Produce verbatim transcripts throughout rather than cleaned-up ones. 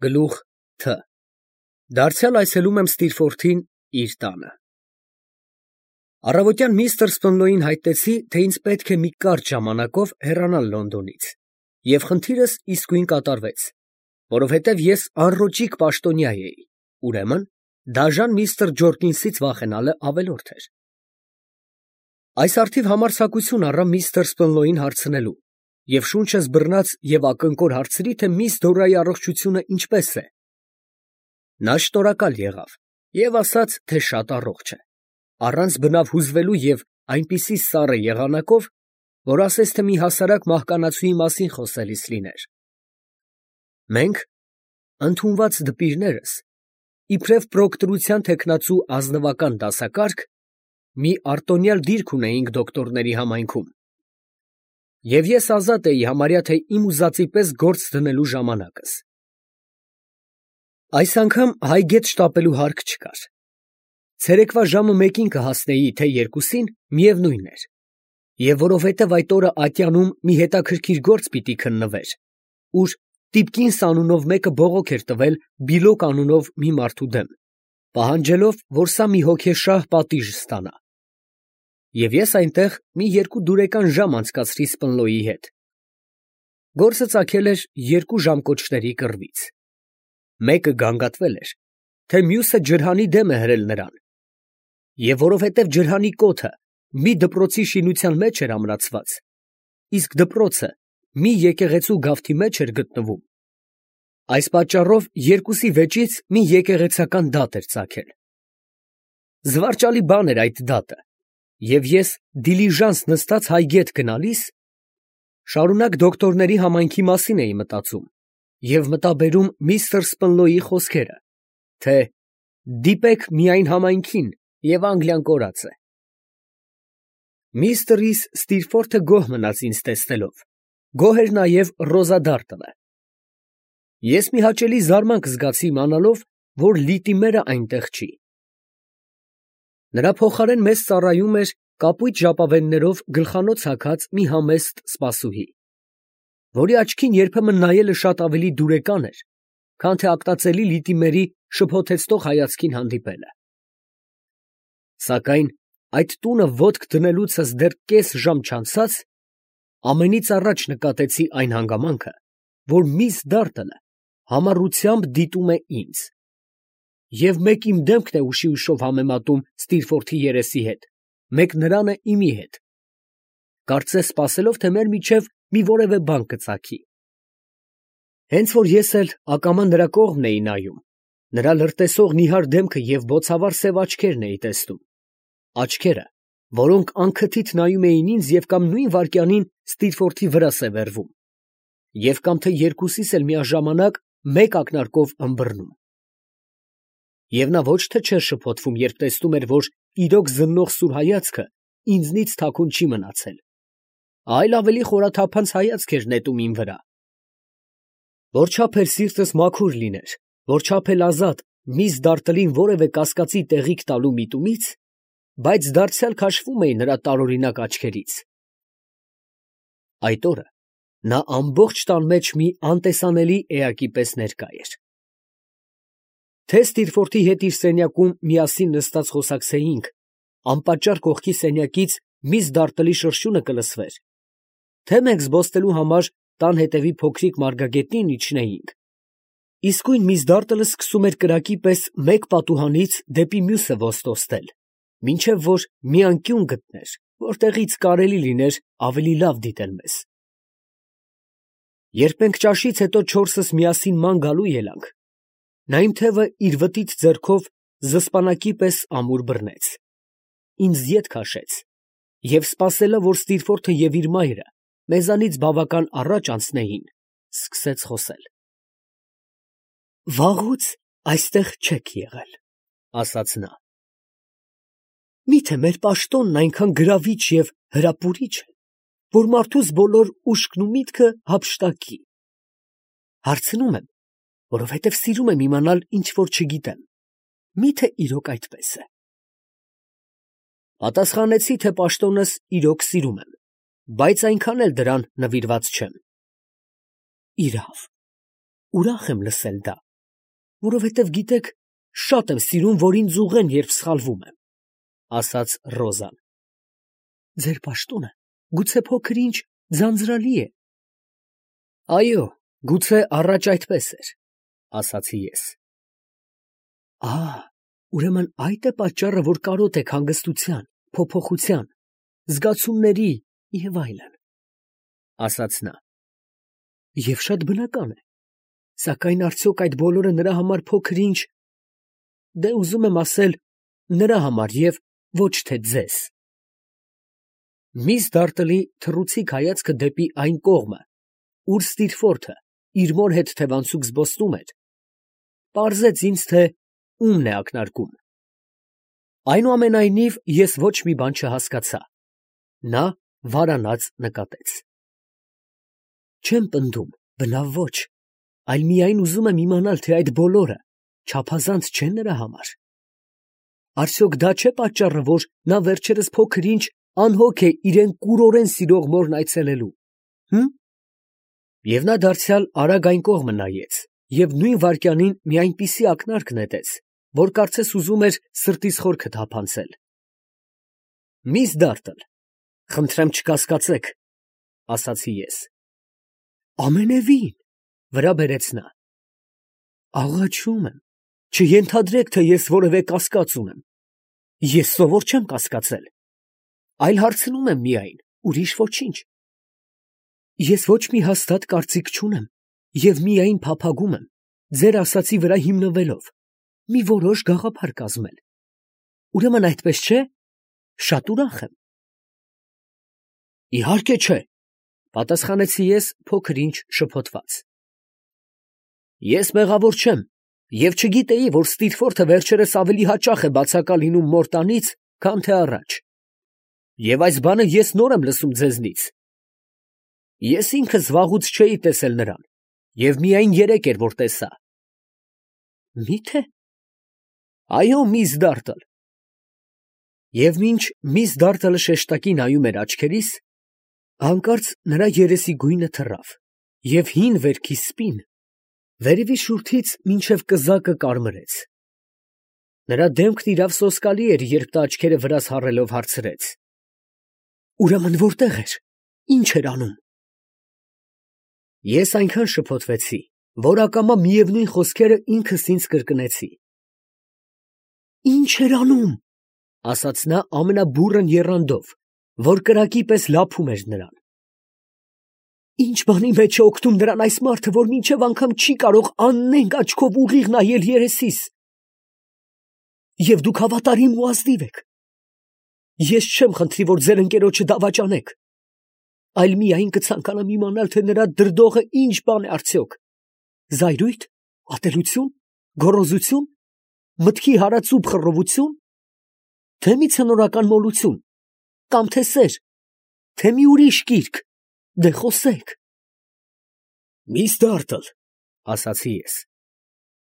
Գլուխ Թ. Դարձյալ այցելում եմ Ստիրֆորթին իր տանը։ Առավոտյան միստր Սպենլոյին հայտնեցի, թե ինձ պետք է մի կարճ ժամանակով հեռանալ Լոնդոնից, և խնդիրս իսկույն կատարվեց, որովհետև ես անռոճիկ պաշտոնյա էի, ուրեմն դաժան միստր Ջորկինսից վախենալը ավելորդ էր։ Այս առթիվ համարձակություն առա միստր Սպենլոյին հարցնելու, և շունչս բռնած և ակնկոր հարցրի, թե միս Դորայի առողջությունը ինչպես է։ Նա շնորհակալ եղավ և ասաց, թե շատ առողջ է, առանց բնավ հուզվելու և այնպիսի սառը եղանակով, որ ասես թե մի հասարակ մահկանացուի մասին խոսելիս լիներ։ Մենք, ընդունված դպիրներս, իբրև պրոկտորության թեկնածու ազնվական դասակարգ, մի արտոնյալ դիրք ունեինք դոկտորների համայնքում, և ես ազատ էի համարյա թե իմ ուզածի պես գործ դնելու ժամանակս։ Այս անգամ հայգետ շտապելու հարկ չկար։ Ցերեկվա ժամը մեկին կհասնեի, թե երկուսին, միևնույն էր, և որովհետև այդ օրը ատյանում մի հետաքրքիր գործ պիտի քննվեր, ուր Տիպկինս անունով մեկը բողոք էր տվել Բիլոկ անունով մի մարդու դեմ, պահանջելով, որ սա մի հոգեշահ պատիժ ստանա, և ես այնտեղ մի երկու դուրեկան ժամ անցկացրի Սպենլոյի հետ։ Գործը ծագել էր երկու ժամկոչների կռվից. մեկը գանգատվել էր, թե մյուսը ջրհանի դեմ է հրել նրան, և որովհետև ջրհանի կոթը մի դպրոցի շինության մեջ էր ամրացված, իսկ դպրոցը մի եկեղեցու գավթի մեջ էր գտնվում, այս պատճառով երկուսի վեճից մի եկեղեցական դատ էր ծագել։ Զվարճալի բան էր այդ դատը, և ես դիլիժանս նստած հայգետ գնալիս, շարունակ դոկտորների համայնքի մասին էի մտածում և մտաբերում միստր Սպենլոյի խոսքերը, թե դիպեք միայն համայնքին, և Անգլիան կորած է։ Միստր Ռիս Ստիրֆորթը գոհ մնաց ինձ տեսնելով, գոհ էր նաև Ռոզա Դարտոնը։ Ես մի հաճելի զարմանք զգացի իմանալով, որ Լիտիմերը այնտեղ չի։ Նրա փոխարեն մեզ ծառայում էր կապույտ ժապավեններով գլխանոց հագած մի համեստ սպասուհի, որի աչքին երբեմն նայելը շատ ավելի դուրեկան էր, քան թե ակնածելի Լիտիմերի շփոթեցնող հայացքին հանդիպելը։ Սակայն այդ տունը ոտք դնելուցս դեռ կես ժամ չանցած, ամենից առաջ նկատեցի այն հանգամանքը, որ միս Դարտոնը համառությամբ դիտում է ինձ, և մեկ իմ դեմքն է ուշի ուշով համեմատում Ստիրֆորթի երեսի հետ, մեկ նրանը իմի հետ, կարծես սպասելով, թե մեր միջև մի որևէ բան կծագի։ Հենց որ ես էլ ակամա նրա կողմն էի նայում, նրա լրտեսող նիհար դեմքը և բոցավառ սև աչքերն էի տեսնում, աչքերը, որոնք անքթիթ նայում էին ինձ և կամ նույն վայրկյանին Ստիրֆորթի վրա սևեռվում, և կամ թե երկուսիս էլ միաժամանակ մեկ ակնարկով ըմբռնում։ Եվ նա ոչ թե չէր շփոթվում, երբ տեսնում էր, որ իրոք զննող սուր հայացքը ինձնից թաքուն չի մնացել, այլ ավելի խորաթափանց հայացք էր նետում իմ վրա։ Որչափ էլ սիրտս մաքուր լիներ, որչափ էլ ազատ միս Դարտլին որևէ կասկածի տեղիք տալու միտումից, բայց դարձյալ քաշվում էի նրա տարօրինակ աչքերից։ Այդ օրը նա ամբողջ տան մեջ մի անտեսանելի էակի պես ներկա էր։ Թե Ստիրֆորթի հետ իր սենյակում միասին նստած խոսակցեինք, անպատճառ կողքի սենյակից միս Դարտլի շրշյունը կլսվեր, թե մենք զբոսնելու համար տան հետևի փոքրիկ մարգագետնին իջնեինք, իսկույն միս Դարտլը սկսում էր կրակի պես մեկ պատուհանից դեպի մյուսը ոստոստել, մինչև որ մի անկյուն գտներ, որտեղից կարելի լիներ ավելի լավ դիտել մեզ։ Երբ մենք ճաշից հետո չորսս միասին ման գալու ելանք, նա իմ թևը իր վտիտ ձեռքով զսպանակի պես ամուր բռնեց, ինձ ետ քաշեց և սպասելով, որ Ստիրֆորթը և իր մայրը մեզանից բավական առաջ անցնեին, սկսեց խոսել։ «Վաղուց այստեղ չեք եղել, ֊ ասաց նա, ֊ մի՞թե մեր պաշտոնն այնքան գրավիչ և հրապուրիչ է, որ մարդուս բոլոր ուշքն ու միտքը հափշտակի։ Հարցնում եմ, որովհետև սիրում եմ իմանալ ինչ որ չգիտեմ, մի՞թե իրոք այդպես է։ Պատասխանեցի, թե պաշտոնս իրոք սիրում եմ, բայց այնքան էլ դրան նվիրված չեմ։ Իրավ, ուրախ եմ լսել դա, Որովհետև գիտեք, շատ եմ սիրում, որ ինձ ուղղեն, երբ սխալվում եմ, ասաց Ռոզան։ Ձեր պաշտոնը գուցե փոքր-ինչ ձանձրալի է։ Այո, գուցե առաջ այդպես էր, ասացի ես։ Ահ, ուրեմն այդ է պատճառը, որ կարոտ եք հանգստության, փոփոխության, զգացումների և այլն, ասաց նա։ Եվ շատ բնական է, սակայն արդյոք այդ բոլորը նրա համար փոքր-ինչ, դե ուզում եմ ասել, նրա համար և ոչ թե ձեզ։ Միս Դարտլի թռուցիկ հայացքը դեպի այն կողմը, ուր Ստիրֆորդը իր մոր հետ թևանցուկ զբոսնում էր, պարզեց ինձ, թե ումն է ակնարկում։ Այնուամենայնիվ ես ոչ մի բան չհասկացա։ Նա վարանած նկատեց։ Չեմ պնդում, բնավ ոչ, այլ միայն ուզում եմ իմանալ, թե այդ բոլորը չափազանց չէ նրա համար։ Արդյոք դա չէ պատճառը, որ նա վերջերս փոքր-ինչ անհոգ է իրեն կուրորեն սիրող մորն այցելելու, հը՞մ։ Եվ նա դարձյալ արագ այն կողմը նայեց և նույն վայրկյանին մի այնպիսի ակնարկ նետեց, որ կարծես ուզում էր սրտիս խորքը թափանցել։ Միս Դարտլ, խնդրեմ չկասկածեք, ասացի ես։ Ամենևին, վրա բերեց նա։ Աղաչում եմ, չենթադրեք, թե ես որևէ կասկած ունեմ։ Ես սովոր չեմ կասկածել, այլ հարցնում եմ միայն, ուրիշ ոչինչ։ Ես ոչ մի հաստատ կարծիք չունեմ և միայն փափագում եմ, ձեր ասածի վրա հիմնվելով, մի որոշ գաղափար կազմել։ Ուրեմն այդպես չէ՞, շատ ուրախ եմ։ Իհարկե չէ, պատասխանեցի ես փոքր-ինչ շփոթված։ Ես մեղավոր չեմ և չգիտեի, որ Ստիրֆորդը վերջերս ավելի հաճախ է բացակա լինում մոր տանից, քան թե առաջ։ Եվ այս բանը ես նոր եմ լսում ձեզնից։ Ես ինքս վաղուց չէի տեսել նրան, և միայն երեկ էր, որ տեսա։ Մի՞թե։ Այո, միս Դարտլ։ Եվ մինչ միս Դարտլը շեշտակի նայում էր աչքերիս, հանկարծ նրա երեսի գույնը թռավ, և հին վերքի սպին վերևի շուրթից մինչև կզակը կարմրեց։ Նրա դեմքն իրավ սոսկալի էր, երբ նա աչքերը վրաս հառելով հարցրեց. Ուրեմն որտե՞ղ էր, ի՞նչ էր անում։ Ես այնքան շփոթվեցի, որ ակամա միևնույն խոսքերը ինքս ինձ կրկնեցի։ Ի՞նչ էր անում, ասաց նա ամենաբուռն եռանդով, որ կրակի պես լափում էր նրան։ Ինչ բանի մեջ է օգնում նրան այս մարդը, որ մինչև անգամ չի կարող աննենգ աչքով ուղիղ նայել երեսիս։ Եվ դուք հավատարիմ ու ազնիվ եք։ Ես չեմ խնդրի, որ ձեր ընկերոջը դավաճանեք, այլ միայն կցանկանամ իմանալ, թե նրա դրդողը ինչ բան է արդյոք. զայրույթ, ատելություն, գոռոզություն, մտքի հարացուփ խռովություն, թե մի ցնորական մոլություն, կամ թե սեր, թե մի ուրիշ կիրք, դե խոսեք։ Միս Դարտլ, ասացի ես,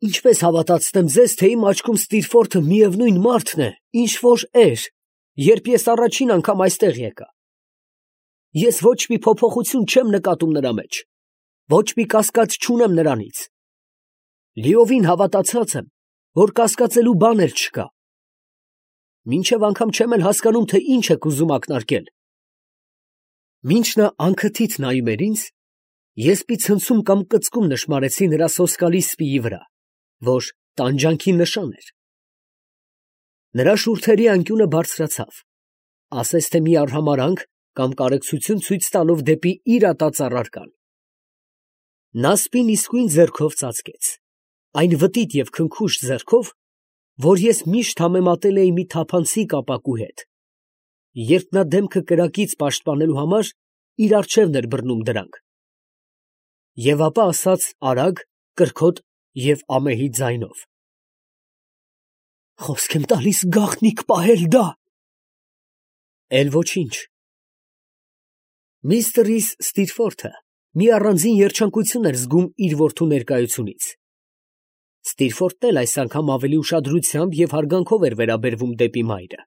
ինչպես հավատացնեմ ձեզ, թե իմ աչքում Ստիրֆորդը միևնույն մարդն է, ինչ որ էր, երբ ես առաջին անգամ այստեղ եկա։ Ես ոչ մի փոփոխություն չեմ նկատում նրա մեջ, ոչ մի կասկած չունեմ նրանից։ Լիովին հավատացած եմ, որ կասկածելու բան էլ չկա։ Մինչև անգամ չեմ էլ հասկանում, թե ինչ եք ուզում ակնարկել։ Մինչ նա անքթիթ նայում էր ինձ, ես մի ցնցում կամ կծկում նշմարեցի նրա սոսկալի սպիի վրա, որ տանջանքի նշան էր։ Նրա շուրթերի անկյունը բարձրացավ, ասես թե մի արհամարհանք կամ կարեկցություն ցույց տալով դեպի իր ատած առարկան։ Նա սպին իսկույն ձեռքով ծածկեց, այն վտիտ և քնքուշ ձեռքով, որ ես միշտ համեմատել էի մի թափանցիկ ապակու հետ, երբ նա դեմքը կրակից պաշտպանելու համար իր առջևն էր բռնում դրանք։ Եվ ապա ասաց արագ, կրքոտ և ամեհի ձայնով. Խոսք եմ տալիս գաղտնիք պահել դա։ Էլ ոչինչ։ Միստր Ռիս Ստիրֆորդը մի առանձին երջանկություն էր զգում իր որդու ներկայությունից։ Ստիրֆորդն էլ այս անգամ ավելի ուշադրությամբ և հարգանքով էր վերաբերվում դեպի մայրը։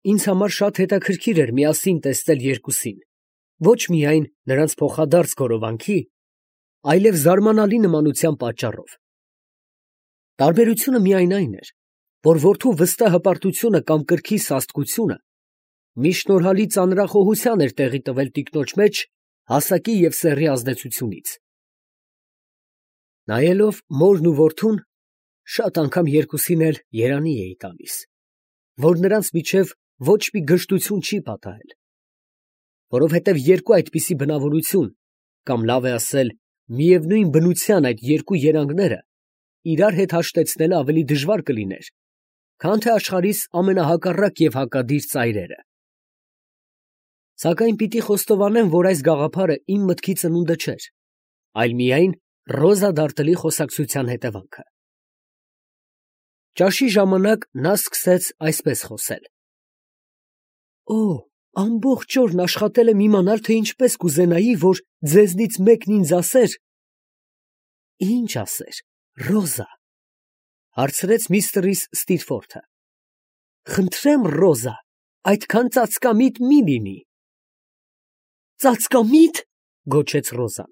Ինձ համար շատ հետաքրքիր էր միասին տեսնել երկուսին, ոչ միայն նրանց փոխադարձ գորովանքի, այլև զարմանալի նմանության պատճառով։ Տարբերությունը միայն այն էր, որ որդու վստահ հպարտությունը կամ կրքի սաստկությունը մի շնորհալի ծանրախոհության էր տեղի տվել տիկնոջ մեջ հասակի և սեռի ազդեցությունից։ Նայելով մորն ու որդուն, շատ անգամ երկուսին էլ երանի էի տալիս, որ նրանց միջև ոչ մի գժտություն չի պատահել, որովհետև երկու այդպիսի բնավորություն, կամ լավ է ասել, միևնույն բնության այդ երկու երանգները իրար հետ հաշտեցնելը ավելի դժվար կլիներ, քան թե աշխարհիս ամենահակառակ և հակադիր ծայրերը։ Սակայն պիտի խոստովանեմ, որ այս գաղափարը իմ մտքի ծնունդը չէր, այլ միայն Ռոզա Դարտլի խոսակցության հետևանքը։ Ճաշի ժամանակ նա սկսեց այսպես խոսել. «Օ, ամբողջ օրն աշխատել եմ իմանալ, թե ինչպես կուզենայի, որ ձեզնից մեկն ինձ ասեր…»։ «Ինչ ասեր, Ռոզա», հարցրեց միստր Ստիրֆորթը։ «Խնդրեմ, Ռոզա, այդքան ծածկամիտ մի լինի»։ «Ծածկամի՞տ», գոչեց Ռոզան։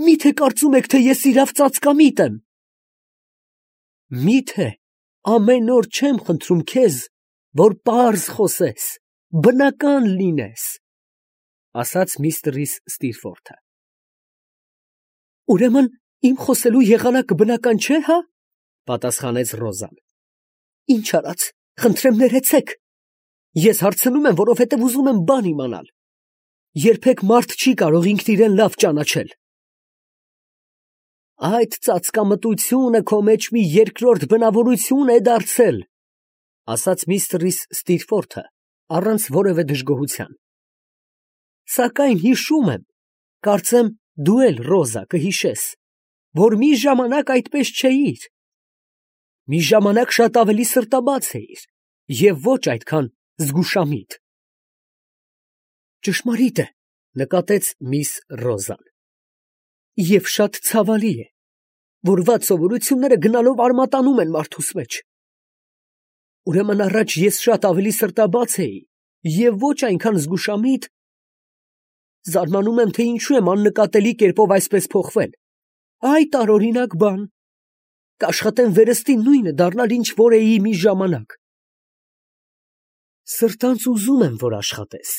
«Մի՞թե կարծում եք, թե ես իրավ ծածկամիտ եմ»։ «Մի՞թե ամեն օր չեմ խնդրում քեզ, որ պարզ խոսես, բնական լինես», ասաց միստր Ստիրֆորթը։ «Ուրեմն իմ խոսելու եղանակը բնական չէ, հա՞, պատասխանեց Ռոզան։ «Ինչ արած, խնդրեմ ներեցեք, ես հարցնում եմ, որովհետև ուզում եմ բան իմանալ։ Երբեք մարդ չի կարող ինքն իրեն լավ ճանաչել»։ «Այդ ծածկամտությունը քո մեջ մի երկրորդ բնավորություն է դարձել», ասաց միստր Ստիրֆորթը առանց որևէ դժգոհության։ «Սակայն հիշում եմ, կարծեմ դու էլ, Ռոզա, կհիշես, որ մի ժամանակ այդպես չէիր։ Մի ժամանակ շատ ավելի սրտաբաց էիր և ոչ այդքան զգուշամիտ»։ «Ճշմարիտ է», նկատեց միս Ռոզան, «և շատ ցավալի է, որ վատ սովորությունները գնալով արմատանում են մարդուս մեջ։ Ուրեմն առաջ ես շատ ավելի սրտաբաց էի և ոչ այնքան զգուշամիտ։ Զարմանում եմ, թե ինչու եմ աննկատելի կերպով այսպես փոխվել։ Այ տարօրինակ բան, կաշխատեմ վերստին նույնը դառնալ, ինչ որ էի մի ժամանակ»։ «Սրտանց ուզում եմ, որ աշխատես»,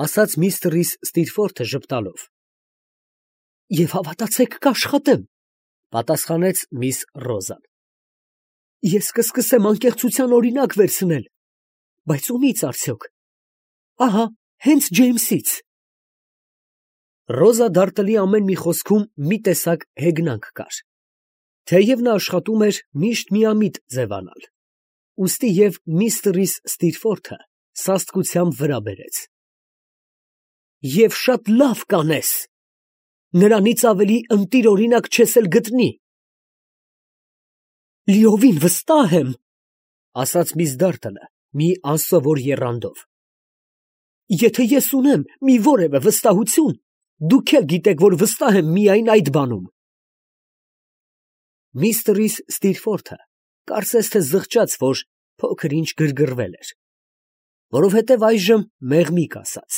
ասաց միստր Ստիրֆորթը ժպտալով։ «Եվ հավատացեք, կաշխատեմ», պատասխանեց միս Ռոզան։ «Ես կսկսեմ անկեղծության օրինակ վերցնել, բայց ումի՞ց արդյոք։ Ահա, հենց Ջեյմսից»։ Ռոզա Դարտլի ամեն մի խոսքում մի տեսակ հեգնանք կար, թեև նա աշխատում էր միշտ միամիտ ձևանալ, ուստի և միստր Ստիրֆորթը սաստկությամբ վրա բերեց։ «Եվ շատ լավ կանես, նրանից ավելի ընտիր օրինակ չես էլ գտնի»։ «Լիովին վստահ եմ», ասաց միս Դարտլը մի անսովոր եռանդով։ «Եթե ես ունեմ մի որևէ վստահություն, դուք էլ գիտեք, որ վստահ եմ միայն այդ բանում»։ Միստր Ստիրֆորթը կարծես թե զղջաց, որ փոքր ինչ գրգռվել էր, որովհետև այժմ մեղմիկ ասաց.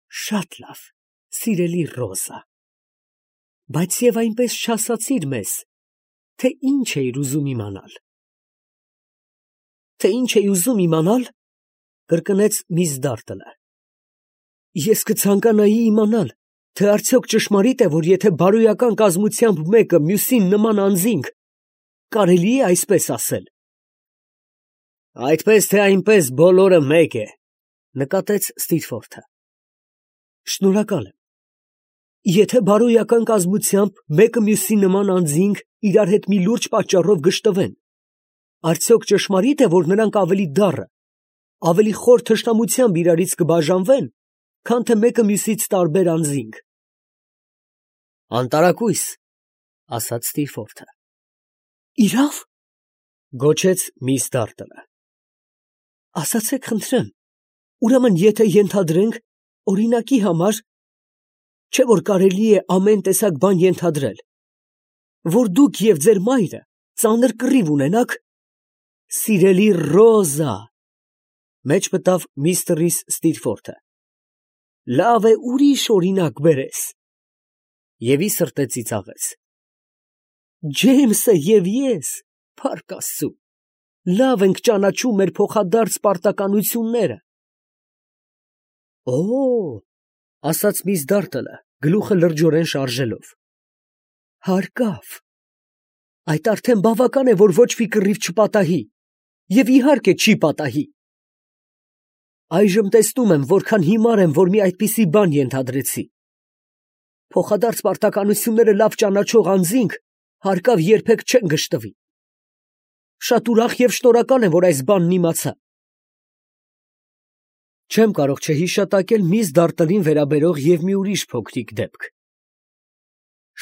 «Շատ լավ, սիրելի Ռոզա, բայց և այնպես չասացիր մեզ, թե ինչ էիր ուզում իմանալ»։ «Թե ինչ էի ուզում իմանալ, ֊ կրկնեց միս Դարտլը, ֊ ես կցանկանայի իմանալ, թե արդյոք ճշմարիտ է, որ եթե բարոյական կազմությամբ մեկը մյուսին նման անձինք, կարելի է այսպես ասել»։ «Այդպես թե այնպես բոլորը մեկ է», նկատեց Ստիրֆորթը։ «Շնորհակալ եմ։ Եթե բարոյական կազմությամբ մեկը մյուսի նման անձինք իրար հետ մի լուրջ պատճառով գժտվեն, արդյոք ճշմարիտ է, որ նրանք ավելի դառը, ավելի խոր թշնամությամբ իրարից կբաժանվեն, քան թե մեկը մյուսից տարբեր անձինք»։ «Անտարակույս», ասաց Ստիրֆորթը։ «Իրավ, ֊ գոչեց միս Դարտլը։ ֊ Ասացեք, խնդրեմ, ուրեմն եթե ենթադրենք, օրինակի համար, չէ՞ որ կարելի է ամեն տեսակ բան ենթադրել, որ դուք և ձեր մայրը ծանր կռիվ ունենաք…» «Սիրելի Ռոզա, ֊ մեջ մտավ միստր Ստիրֆորթը, ֊ լավ է ուրիշ օրինակ բերես»։ Եվի սրտե ծիծաղեց։ Ջեյմսը և ես, փառք Աստծու, լավ ենք ճանաչում մեր փոխադարձ պարտականությունները։ Օ, ասաց միս Դարտլը, գլուխը լրջորեն շարժելով, հարկավ, այդ արդեն բավական է, որ ոչ մի կռիվ չպատահի, և իհարկե չի պատահի։ Այժմ տեսնում եմ, որքան հիմար եմ, որ մի այդպիսի բան ենթադրեցի։ Փոխադարձ պարտականությունները լավ ճանաչող անձինք հարկավ երբեք չեն գժտվի։ Շատ ուրախ և շնորհակալ եմ, որ այս բանն իմացա։ Չեմ կարող չհիշատակել միս Դարտլին վերաբերող և մի ուրիշ փոքրիկ դեպք։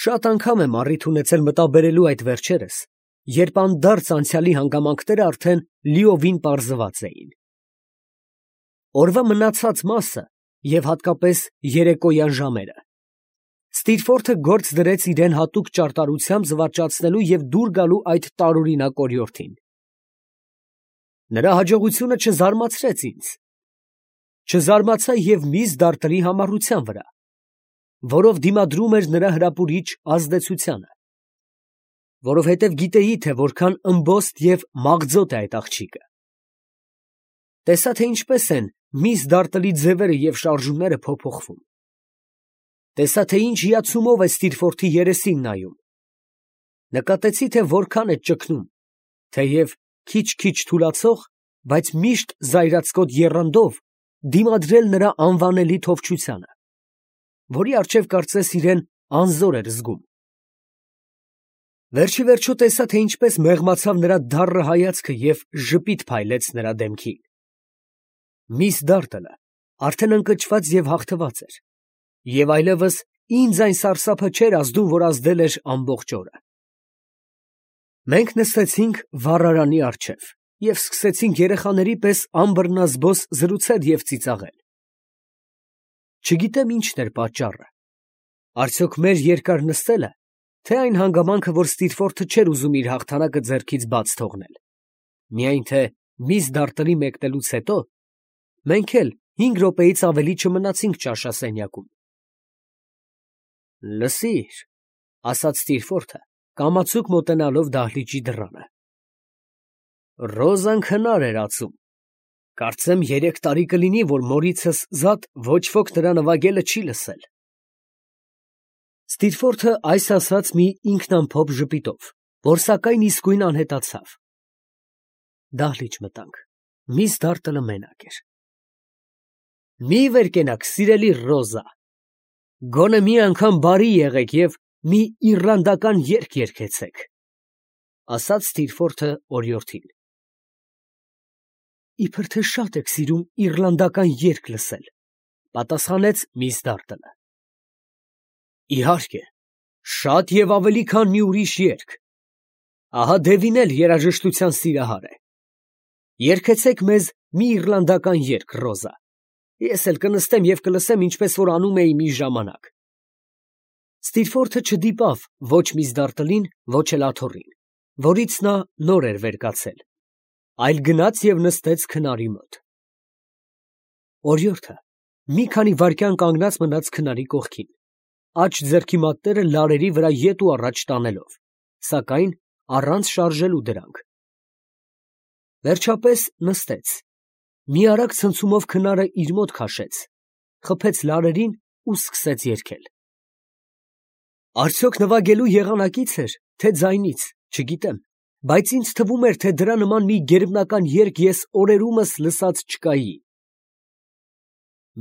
Շատ անգամ եմ առիթ ունեցել մտաբերելու այդ վերջերս, երբ անդարձ անցյալի հանգամանքները արդեն լիովին պարզված էին։ Օրվա մնացած մասը և հատկապես երեկոյան ժամերը Ստիրֆորթը գործ դրեց իրեն հատուկ ճարտարությամբ զվարճացնելու և դուր գալու այդ տարօրինակ օրիորդին։ Նրա հաջողությունը չզարմացրեց ինձ։ Չզարմացա և միս Դարտլի համառության վրա, որով դիմադրում էր նրա հրապուրիչ ազդեցությանը, որովհետև գիտեի, թե որքան ըմբոստ և մաղձոտ է այդ աղջիկը։ Տեսա, թե ինչպես են միս Դարտլի ձևերը և շարժումները փոփոխվում։ Տեսա, թե ինչ հիացումով է Ստիրֆորթի երեսին նայում։ Նկատեցի, թե որքան է ճկնում, թեև քիչ-քիչ թուլացող, բայց միշտ զայրացկոտ եռանդով դիմադրել նրա անվանելի թովչությանը, որի առջև կարծես իրեն անզոր էր զգում։ Վերջիվերջո տեսա, թե ինչպես մեղմացավ նրա դառը հայացքը և ժպիտ փայլեց նրա դեմքին։ Միս Դարտլը արդեն ընկճված և հաղթված էր, և այլևս ինձ այն սարսափը չէր ազդում, որ ազդել էր ամբողջ օրը։ Մենք նստեցինք վառարանի առջև և սկսեցինք երեխաների պես անբռնազբոս զրուցել և ծիծաղել։ Չգիտեմ ինչն էր պատճառը, արդյոք մեր երկար նստելը, թե այն հանգամանքը, որ Ստիրֆորթը չէր ուզում իր հաղթանակը ձեռքից բաց թողնել, միայն թե միս Դարտլի մեկնելուց հետո մենք էլ հինգ րոպեից ավելի չմնացինք ճաշասենյակում։ Լսիր, ֊ ասաց Ստիրֆորթը, կամացուկ մոտենալով դահլիճի դռանը, Ռոզան քնար էր ածում, կարծեմ երեք տարի կլինի, որ մորիցս զատ ոչ ոք նրա նվագելը չի լսել։ Ստիրֆորթը այս ասաց մի ինքնամփոփ ժպիտով, որ սակայն իսկույն անհետացավ։ Դահլիճ մտանք, միս Դարտլը մենակ էր։ Մի վեր կենաք, սիրելի Ռոզա, գոնե մի անգամ բարի եղեք և մի իռլանդական երգ երգեցեք, ֊ ասաց Ստիրֆորթը օրիորդին։ Իբր թե շատ եք սիրում իռլանդական երգ լսել, ֊ պատասխանեց միս Դարտլը։ Իհարկե, շատ և ավելի, քան մի ուրիշ երգ։ Ահա Դևին էլ երաժշտության սիրահար է։ Երգեցեք մեզ մի իռլանդական երգ, Ռոզա, ես էլ կնստեմ և կլսեմ, ինչպես որ անում էի մի ժամանակ։ Ստիրֆորթը չդիպավ ոչ միս Դարտլին, ոչ էլ աթոռին, որից նա նոր էր վեր կացել, այլ գնաց և նստեց քնարի մոտ։ Օրիորդը մի քանի վայրկյան կանգնած մնաց քնարի կողքին, աջ ձեռքի մատները լարերի վրա ետ ու առաջ տանելով, սակայն առանց շարժելու դրանք։ Վերջապես նստեց, մի արագ ցնցումով քնարը իր մոտ քաշեց, խփեց լարերին ու սկսեց երգել։ Արդյոք նվագելու եղանակից էր, թե ձայնից, չգիտեմ, բայց ինձ թվում էր, թե դրա նման մի գերբնական երգ ես օրերումս լսած չկայի։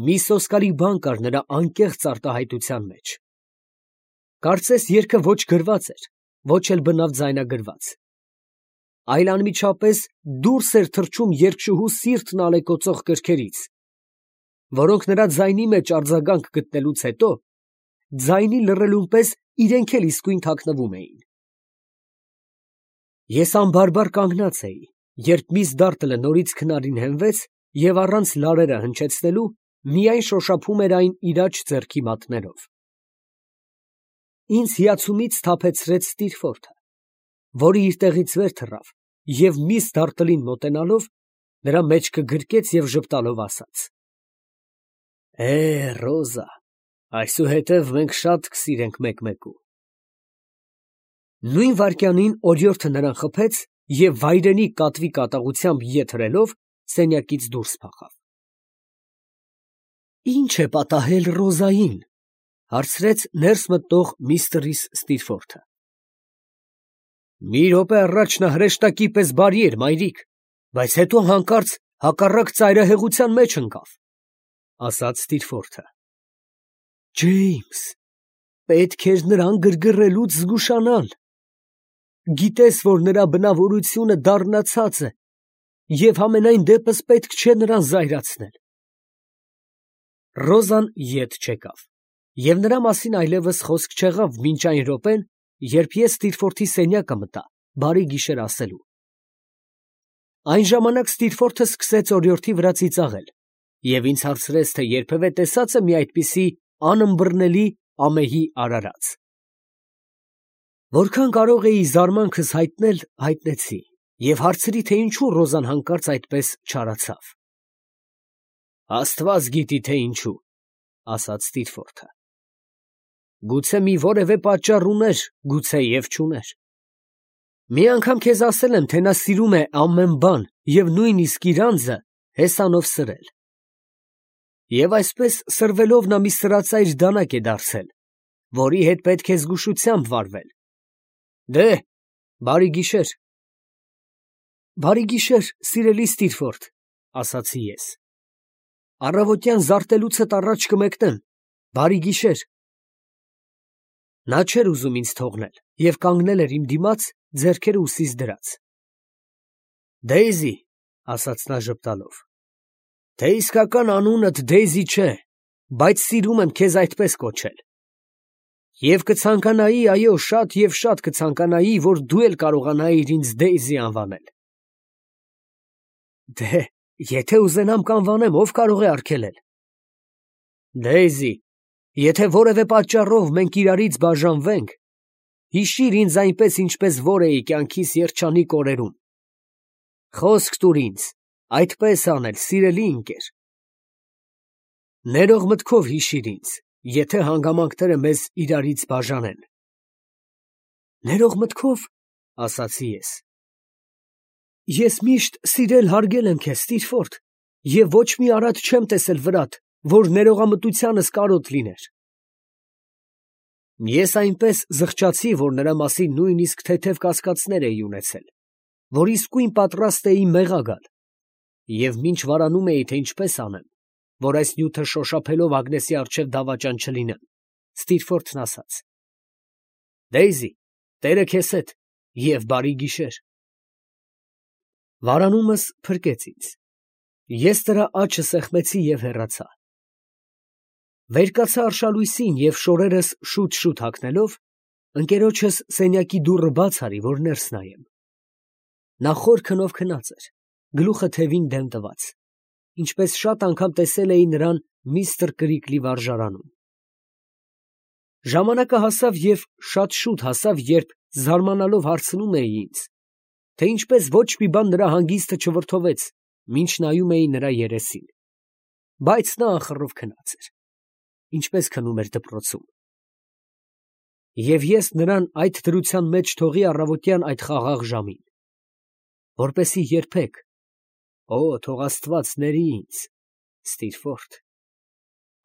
Մի սոսկալի բան կար նրա անկեղծ արտահայտության մեջ։ Կարծես երգը ոչ գրված էր, ոչ էլ բնավ ձայնագրված, այլ անմիջապես դուրս էր թռչում երգչուհու սիրտն ալեկոծող կրքերից, որոնք նրա ձայնի մեջ արձագանք գտնելուց հետո ձայնի լռելուն պես իրենք էլ իսկույն թաքնվում էին։ Ես անբարբար կանգնած էի, երբ միս Դարտլը նորից քնարին հենվեց և առանց լարերը հնչեցնելու միայն շոշափում էր այն իր աջ ձեռքի մատներով։ Ինձ հիացումից սթափեցրեց Ստիրֆորթը, որը իր տեղից վեր թռավ և միս Դարտլին մոտենալով նրա մեջքը գրկեց և ժպտալով ասաց. Է, Ռոզա, Այսուհետև մենք շատ կսիրենք մեկ֊մեկու։ Նույն վայրկյանին օրիորդը նրան խփեց և վայրենի կատվի կատաղությամբ ետ հրելով սենյակից դուրս փախավ։ Ի՞նչ է պատահել Ռոզային, հարցրեց ներս մտնող միստր Ստիրֆորդը։ Մի րոպե առաջ նա հրեշտակի պես բարի էր, մայրիկ, բայց հետո հանկարծ հակառակ ծայրահեղության մեջ ընկավ, ասաց Ստիրֆորդը։ Ջեյմս, պետք էր նրան գրգռելուց զգուշանալ։ Գիտես, որ նրա բնավորությունը դառնացած է, և համենայն դեպս պետք չէ նրան զայրացնել։ Ռոզան ետ չեկավ, և նրա մասին այլևս խոսք չեղավ մինչ այն րոպեն, երբ ես Ստիրֆորդի սենյակը մտա, բարի գիշեր ասելու։ Այն ժամանակ Ստիրֆորդը սկսեց օրիորդի վրա ծիծաղել և ինձ հարցրեց, թե երբևէ տեսած է մի այդպիսի անըմբռնելի ամեհի արարած։ Որքան կարող էի զարմանքս հայտնել, հայտնեցի և հարցրի, թե ինչու Ռոզան հանկարծ այդպես չարացավ։ Աստված գիտի, թե ինչու, ասաց Ստիրֆորդը։ Գուցե մի որևէ պատճառ ուներ, գուցե և չուներ։ Մի անգամ քեզ ասել եմ, թե նա սիրում է ամեն բան և նույնիսկ իր անձը հեսանով սրել։ Եվ այսպես սրվելով նա մի սրածայր դանակ է դարձել, որի հետ պետք է զգուշությամբ վարվել։ Դե, բարի գիշեր։ Բարի գիշեր, սիրելի Ստիրֆորդ, ասացի ես։ Առավոտյան զարտելուցդ առաջ կմեկնեմ, բարի գիշեր։ Նա չէր ուզում ինձ թողնել և կանգնել էր իմ դիմաց, ձեռքերը ուսիս դրած։ Դեյզի, ասաց նա ժպտալով, թե իսկական անունդ Դեյզի չէ, բայց սիրում եմ քեզ այդպես կոչել։ Եվ կցանկանայի, այո, շատ և շատ կցանկանայի, որ դու էլ կարողանայիր ինձ Դեյզի անվանել։ Դե, եթե ուզենամ կանվանեմ, ով կարող է արգելել։ Դեյզի, եթե որևէ պատճառով մենք իրարից բաժանվենք, հիշիր ինձ այնպես, ինչպես որ էի կյանքիս երջանիկ օրերում։ Խոսք տուր ինձ, այդպես անել, սիրելի ընկեր։ Ներող մտքով հիշիր ինձ, եթե հանգամանքները մեզ իրարից բաժանեն։ Ներող մտքով, ասացի ես։ Ես միշտ սիրել հարգել եմ քեզ, Ստիրֆորդ, և ոչ մի արատ չեմ տեսել վրատ, որ ներողամտությանս կարոտ լիներ։ Ես այնպես զղջացի, որ նրա մասին նույնիսկ թեթև կասկածներ էի ունեցել, որ իսկույն պատրաստ էի մեղա գալ, և մինչ վարանում էի, թե ինչպես անեմ, որ այս նյութը շոշափելով Ագնեսի առջև դավաճան չլինեմ, Ստիրֆորդն ասաց. Դեյզի, Տերը քեզ հետ և բարի գիշեր։ Վարանումս փրկեց ինձ։ Ես նրա աջը սեղմեցի և հեռացա։ Վեր կացա արշալույսին և շորերս շուտ-շուտ հագնելով, ընկերոջս սենյակի դուռը բաց արի, որ ներս նայեմ։ Նա խոր քնով քնած էր, գլուխը թևին դեմ տված, ինչպես շատ անգամ տեսել էի նրան միստր Կրիքլի վարժարանում։ Ժամանակը հասավ և շատ շուտ հասավ, երբ զարմանալով հարցնում էի ինձ, թե ինչպես ոչ մի բան նրա հանգիստը չվրդովեց, մինչ նայում էի նրա երեսին, բայց նա ախռով քնած էր, ինչպես քնում էր դպրոցում։ Եվ ես նրան այդ դրության մեջ թողի առավոտյան այդ խաղաղ ժամին, որպեսզի երբեք, օ, թող Աստված ների ինձ, Ստիրֆորդ,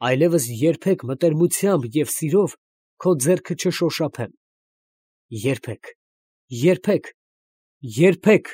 այլևս երբեք մտերմությամբ և սիրով քո ձեռքը չշոշափեմ, երբեք, երբեք, երբեք։